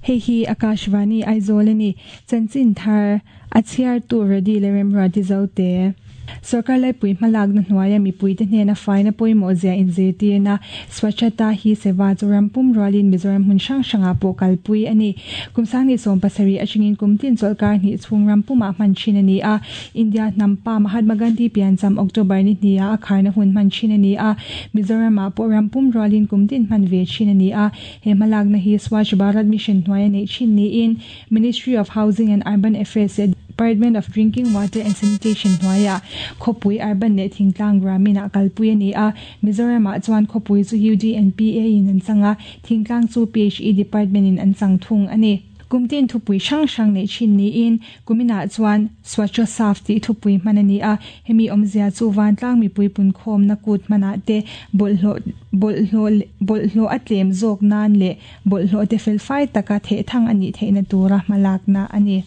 Hei hi Akashvani Aizawl a ni. Chanchin thar a chhiartu Rody leh Remruati Zote. Sorkar laipui hmalakna hnuaia mipuite hnena faina pawimawh zia inzirtirna Swachhata Hi Seva chu ram pum rualin Mizoram hmun hrang hrangah pawh kalpui a ni. Kum sangni 70 atangin kum tin chawlhkar hnih chhung ram pumah hman thin a ni a. India hnam pa Mahatma Gandhi piancham October ni hniha a kharna hun hman thin a ni a. Mizoramah pawh ram pum rualin kum tin hman ve thin a ni a. He hmalakna hi Swachh Bharat Mission hnuaia neih thin niin Ministry of Housing and Urban Affairs leh Department of Drinking Water and Sanitation hnuaiah khawpui urban leh thingtlang Gramin-ah kalpui a ni a. Mizoramah chuan khawpui chu UDNPA in an chang a, thingtlang chu PHE Department in an chang thung a ni. Kumtin thupui hrang hrang neih thin niin Kuminah chuan Swachhosaf tih thupui hman a ni a, hemi awmzia chu vantlang mipui punkhawmna kut hmanah te bawlhhlawh bawlhhlawh bawlhhlawh a tlem zawk nan leh bawlhhlawh te felfai taka thehthang a nih theihna tura hmalakna a ni.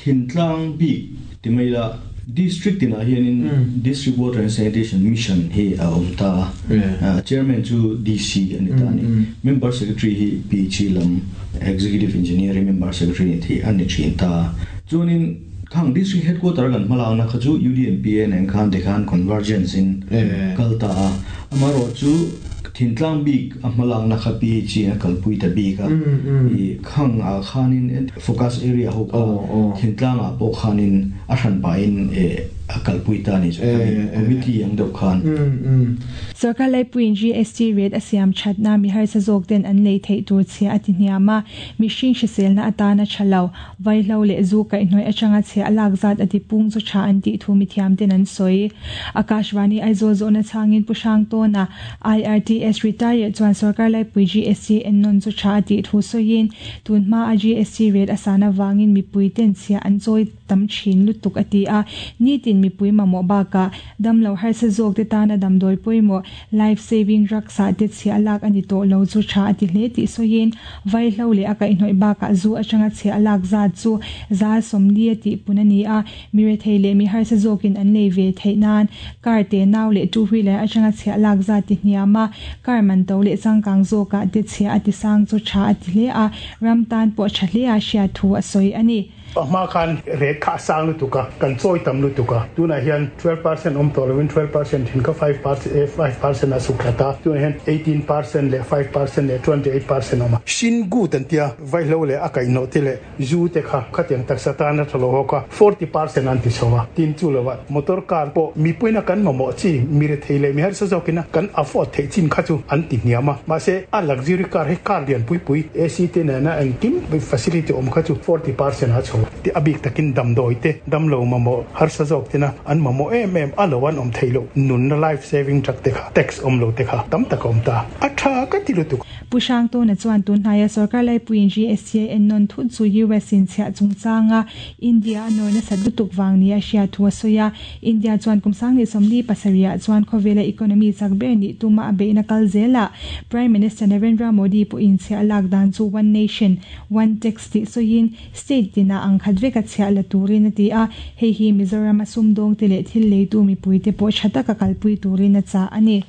Thintlang bik ti mai ila, District tinah hianin District Water and Sanitation Mission hi a awm ta a, Chairman chu DC a ni ta a ni. Member Secretary hi PHE lam Executive Engineer hi Member Secretary ni thei a ni thin ta. Chuanin khang District Headquarter kan hmalakna kha chu UDMPA nen khan tikhan convergence in kal ta a, amaherawh chu thintlang bik a hmalakna kha PHE in a kalpui ta bik a, i khang ah khanin focus area ho kha thintlang ah pawh khanin a hran pahin a kalpui ta a ni chu committee ang deuh khan. Sorkar laipuiin GST rate a siam thatna mi harsa zawk ten an lei theih tur chhia a ti hniam a, mihring hriselna atana tha lo, vaihlo leh zu kaihhnawih atanga chhia a lak zat a ti pung chu tha an tih thu mithiam ten an sawi. Akashvani Aizawl zawhna chhangin Pu Hrangtawna, IRTS retired chuan sorkar laipui GST ennawn chu tha a tih thu sawiin, tun hma a GST rate a san avangin mipui ten chhia an chawi tam thin lutuk a ti a, nitin mipui mamawh bakah Damlo harsa zawk te tana damdawi pawimawh, life saving drugs ah te chhiah lak a ni tawh lo chu tha a ti hle tih sawiin, vaihlo leh a kaihhnawih bakah zu atanga chhiah lak zat chu 40% a tihpun a ni a, mi rethei leh mi harsa zawkin an lei ve theih nan car te nau leh two wheeler atanga chhiah lak zat ti hniam a, car man to leh changkang zawkah te chhiah a ti sang chu tha a ti hle a, ram tan pawh tha hle a hriat thu a sawi a ni. A hma khan rate kha a sang lutuk a, kan chawi tam lutuk a. Tunah hian 12% awm tawh lovin 12% thin kha 5% a suk thla ta. Tunah hian 18% leh 5% leh 28% awm a. Shin gut an tia, vaihlo leh a kaihhnawh te leh zu te kha khatiang taksa tan a tha lo hawk a, 40% an ti chho a. Tin chu lovah motor car pawh mipuina kan mamawh chi, mi rethei leh mi harsa zawkina kan afford theih chin kha chu an ti hniam a. Mahse, a luxury car hi car lian pui pui, AC te nena engkim facility awm kha chu 40% a chho tih a bik takin damdawi te, damlo mamawh harsa zawk tena an mamawh em em a lo an awm theih loh nunna life saving drug te kha tax awm lo te kha tam tak a awm ta. A tha ka ti lutuk. Pu Hrangtawna chuan tunhnaia sorkar laipuiin GST a ennawn thut chu US in chhiah chungchanga India a nawr nasat lutuk vang nia hriat thu a sawi a. India chuan kum 2037 ah chuan khawvela economy chak ber nih tuma a beihna kal zelah Prime Minister Narendra Modi pawhin chhiah lak dan chu One Nation, One Tax tih sawiin state tinah ang khat veka chhiah la turin a ti a, hei hi Mizoram a sumdawngte leh thil leitu mipuite pawh tha taka kalpui turin a chah a ni.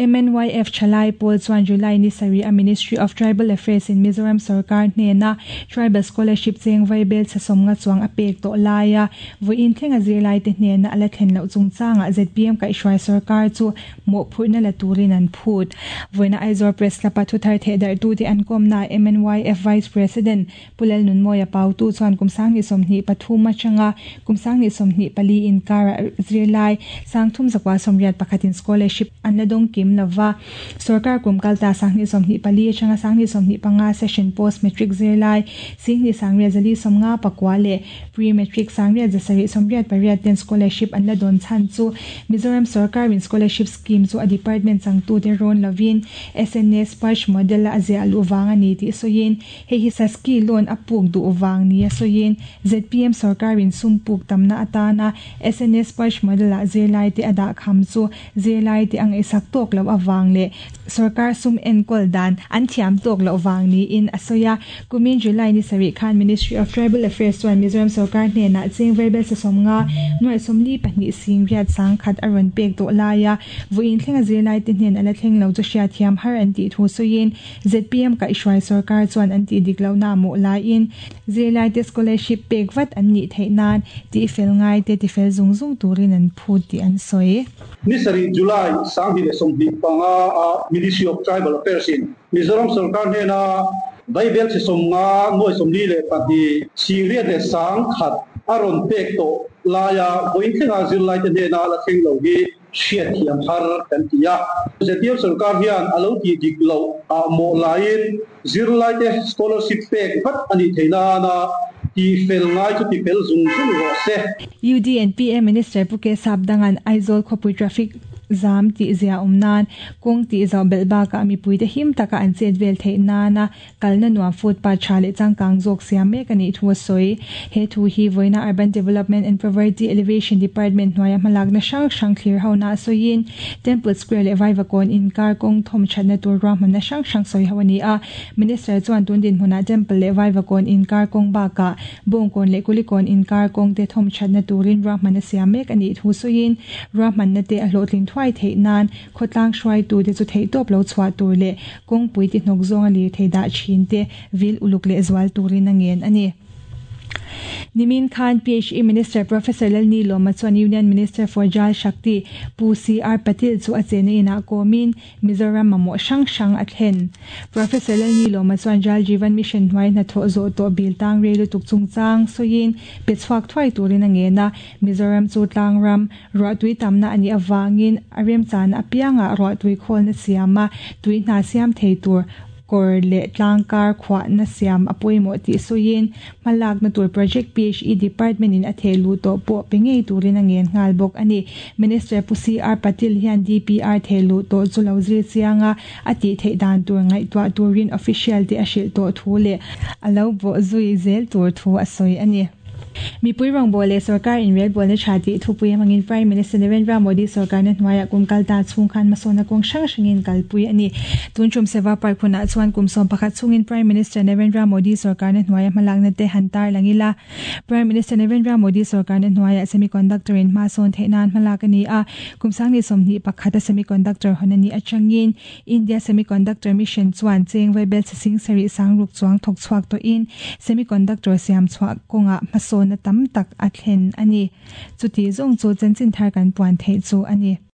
MNYF Thalai pawl chuan July ni sarih a Ministry of Tribal Affairs in Mizoram sorkar hnena Tribal Scholarship cheng vaibel chhasawmnga chuang a pek tawh laia vawiin thlenga zirlaite hnena a la thlen loh chungchangah zpm kaihhruai sorkar chu mawhphurhna la turin an phut. Vawiina Aizawl Press Club-a thuthar thehdarhtute an kawmnaah MNYF Vice President Pu Lalnunmawia Pautu chuan kum 2023 atanga kum 2024 inkara zirlai 3181 in scholarship an la dawng kim lova. Sorkar kum kalta 2024 atanga 2025 session post matric zirlai 29,459 leh pre matric 9,788 ten scholarship an la dawn chhan chu Mizoram sorkarin scholarship scheme chu a department changtute rawn lovin SNS Sparsh model a ziah luh vang a ni tih sawiin Hei hi Saski loan a puk duh vang nia sawiin zpm sorkarin sum puk tamna atana SNS Sparsh model-ah zirlaite a dah kham chu zirlaite a ngaihsak tawk tawk loh avang leh sorkar sum enkawl dan an thiam tawk loh vang niin a sawi a. Kumin July ni sarih khan Ministry of Tribal Affairs chuan Mizoram sorkar hnenah cheng vaibel sasawmnga nuai sawmli pahnih sing riat sangkhat a rawn pek tawh lai a, vawiin thlenga zirlaite hnen a la thleng lo chu hriatthiam har an tih thu sawiin zpm kaihhruai sorkar chuan an tih dik lohna mawh laiin zirlaite scholarship pek vat an nih theih nan tihfel ngaite tifel zung zung turin an phut tih an sawi. Ni sarih July 2025 a Ministry of Tribal Affairs in Mizoram sorkar hnena vaibel chi sawmnga nuai sawmli leh pahnih sing riat leh sang khat a rawn pek tawh laia vawiin thlenga zirlaite hnena la thleng lo hi hriatthiam har kan ti a. Zpm sorkar hian a lo tih dik loh ah mawh laiin zirlaite scholarship pek vat a nih theih nana tifel ngai chu tifel zung zung rawh se. UDNPA Minister Pu K Sapdangan Aizawl khawpui traffic zam tih zia awm nan kawng tih zauh belh bakah mipuite him taka an chet vel theih nana kalna nuam footpath tha leh changkang zawk siam mek a nih thu a sawi. He thu hi vawiina Urban Development and Poverty Alleviation Department hnuaia hmalakna hrang hrang thlir hona a sawiin Temple Square leh Vaivakawn inkar kawng thawm thatna tur ruahmanna hrang hrang sawi ho a ni a. Minister chuan tun dinhmunah Temple leh Vaivakawn inkar kawng bakah Bawngkawn leh Kulikawn inkar kawng te thawm thatna turin ruahmanna siam mek a nih thu sawiin ruahmanna te a hlawhtlin thuai theih nan khawtlang hruaitute chu theihtawp lo chhuah tur leh kawngpui ti hnawk zawnga lir thei dah thin te vil uluk leh zual turin a ngen a ni. Nimin khan PHE Minister Professor Lalni Lawma chuan Union Minister for Jal Shakti Pu CR Patil chu a chenna inah kawmin Mizoram mamawh hrang hrang a thlen. Professor Lalni Lawma chuan Jal Jeevan Mission hnuai hnathawh zawh tawh bil tang rei lutuk chungchang sawiin pe chhuak thuai turin a ngen a, Mizoram chu tlangram ruahtui tamna a nih avangin a remchana apiangah ruahtui khawlna siam a, tui hna siam thei tur kawr leh tlangkar khuahna siam a pawimawh tih sawiin hmalakna tur project PHE department in a theh luh tawh pawh pe ngei turin a ngen nghal bawk a ni. Minister Pu CR Patil hian DPR theh luh tawh chu lo zir chiang a, a tih theih dan tur ngaihtuah turin official te a hrilh tawh thu leh a lo bawh zui zel tur thu a sawi a ni. Mipui rawngbâwl leh sorkar inrelbâwlna tha tih thupui hmangin Prime Minister Narendra Modi sorkarna hnuaiah kum kal ta chhung khan hmasawnna kawng hrang hrangin kalpui a ni. Tun tum Seva Park hunah chuan kum 11 chhungin Prime Minister Narendra Modi sorkarna hnuaia hmalakna te han tar lang ila. Prime Minister Narendra Modi sorkarna hnuaiah semiconductor in hmasawn theih nan hmalak a ni a, kum 2021 a semiconductor hawn a nih atangin India Semiconductor Mission chuan cheng vaibel sing sarih sangruk chuang thawk chhuak tawhin semiconductor siam chhuah kawngah hmasawnna tam tak a thlen a ni. Chuti zawng chu chanchin thar kan puan theih chu a ni.